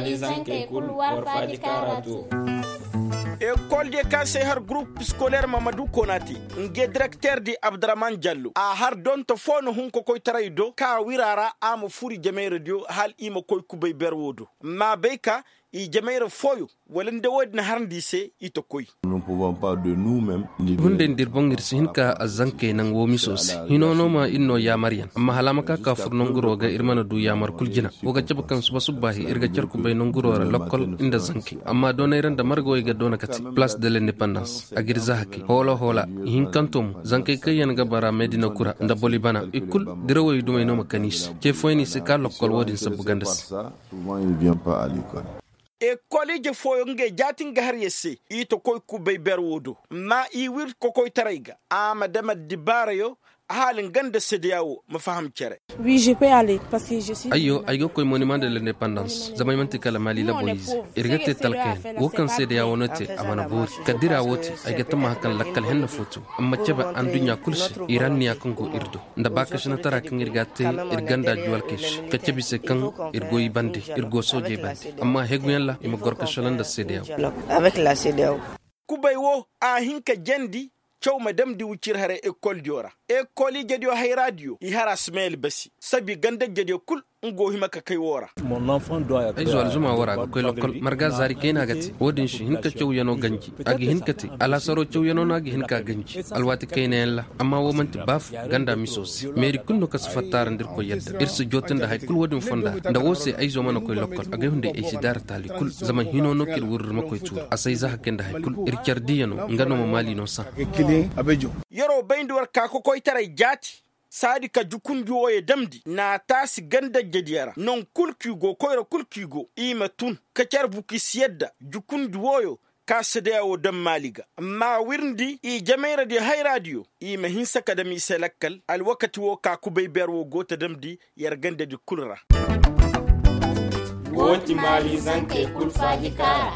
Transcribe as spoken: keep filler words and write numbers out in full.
Zankey kul war faaji kaara to. Ekol diyo kaŋ se har gurup iskoleer mamadu konate, nge direkteer di abdurahman jallo a har donto foo na hun kokoytaray do ka wira ra a ma fur i jamayra diyo hala i ma koy kubay ber wo do. Amma bay ka i jamayra fooyo wala nda wo- din harandi i se i ta koy. Hunday nda ir boŋ ir si hin ka zankey naŋ woo miso se hino no ma ir no yaamar yaŋ amma hala a ma ka ka fur nanguro ga ir mana du yaamar kul jina. Wo ga cabe kaŋ suba subbaahi ir ga car kubay nanguro ra lokkol nda zankey amma doonay ra nda margawey ga doona kate palaas de lendepandans a ga ir za hakey hoola hoola. Ihinkanto mo zankey kaŋ yaŋ ga bara medina kura nda boli bana i kul dirawey dumey no ma kan i se ce fooyaŋ i si ka lokkol wo- din sabbu ganda se. Ekol ije fooyaŋ ngey jaati nga har ya se i ta koy kubay ber wo do amma i wir kokoytaray ga a ma dam addibaarayo. Hala nga nda sedeya wo ma faham cere. Ayyo ay ga koy monima nda lendepandans zama ay manti kala maali laboriize. Ir ga te talkayaŋ wo kaŋ sedeya wo no te a mana boori ka dira wo te. Ay ga tammaha kaŋ lakkal henna fo to amma cabe anduɲɲa kul se ir anniya kaŋ go ir do nda baakasinatara kaŋ ir ga a te ir ganda juwalkey se ka cabe i se kaŋ ir go i bande ir go soojey bande. Amma heguyaŋ ra i ma goro ka shala nda sedeya wo. Kubay wo a hin ka jandi caw ma damndi wucir haray ekol diyo ra. Ekol ijediyo hayra diyo i har a si may albasi sabi ganda ijediyo kul nga go hima ka kay wo ra. Ay zo alzuma wo ra a ga koy lokkol marga zaari kayna ga te wo- din si hin ka cawyaŋo ganji. A ga hin ka te alaasaro cawyaŋo no a ga hin ka ganji alwaati kaynayaŋ ra. Amma wo man'ti ba fo ganda miso se meeri kul no ka si fatta ra nda irkoy yadda ir si jooti nda hari kul wo- din fonda ra nda wo se ay zo mana koy lokkol agay hunday ay si daara taali kul. Zama hino no kaŋ ir wurri ma koy tuuri a si ay za hakey nda hari kul ir care diiyaŋo nga no ma maali no sahã. Yeroo bayndi war ka kokoytaray jaati saadi ka jukundi wooyo damndi n'a taasi ganda ijediyo ra naŋ kul kaŋ i go koyra kul kaŋ i go i ma tun ka care bukis yadda jukundi wooyo ka sedeya woo daŋ maali ga. Amma a wirndi i jamayradiyo hayraadiyo i ma hinsa ka dam i se lakkal alwakati woo ka kubay beer woo go ta damndi yer gandadi kul ra. Woo ti maali zankey kul faaji kaara.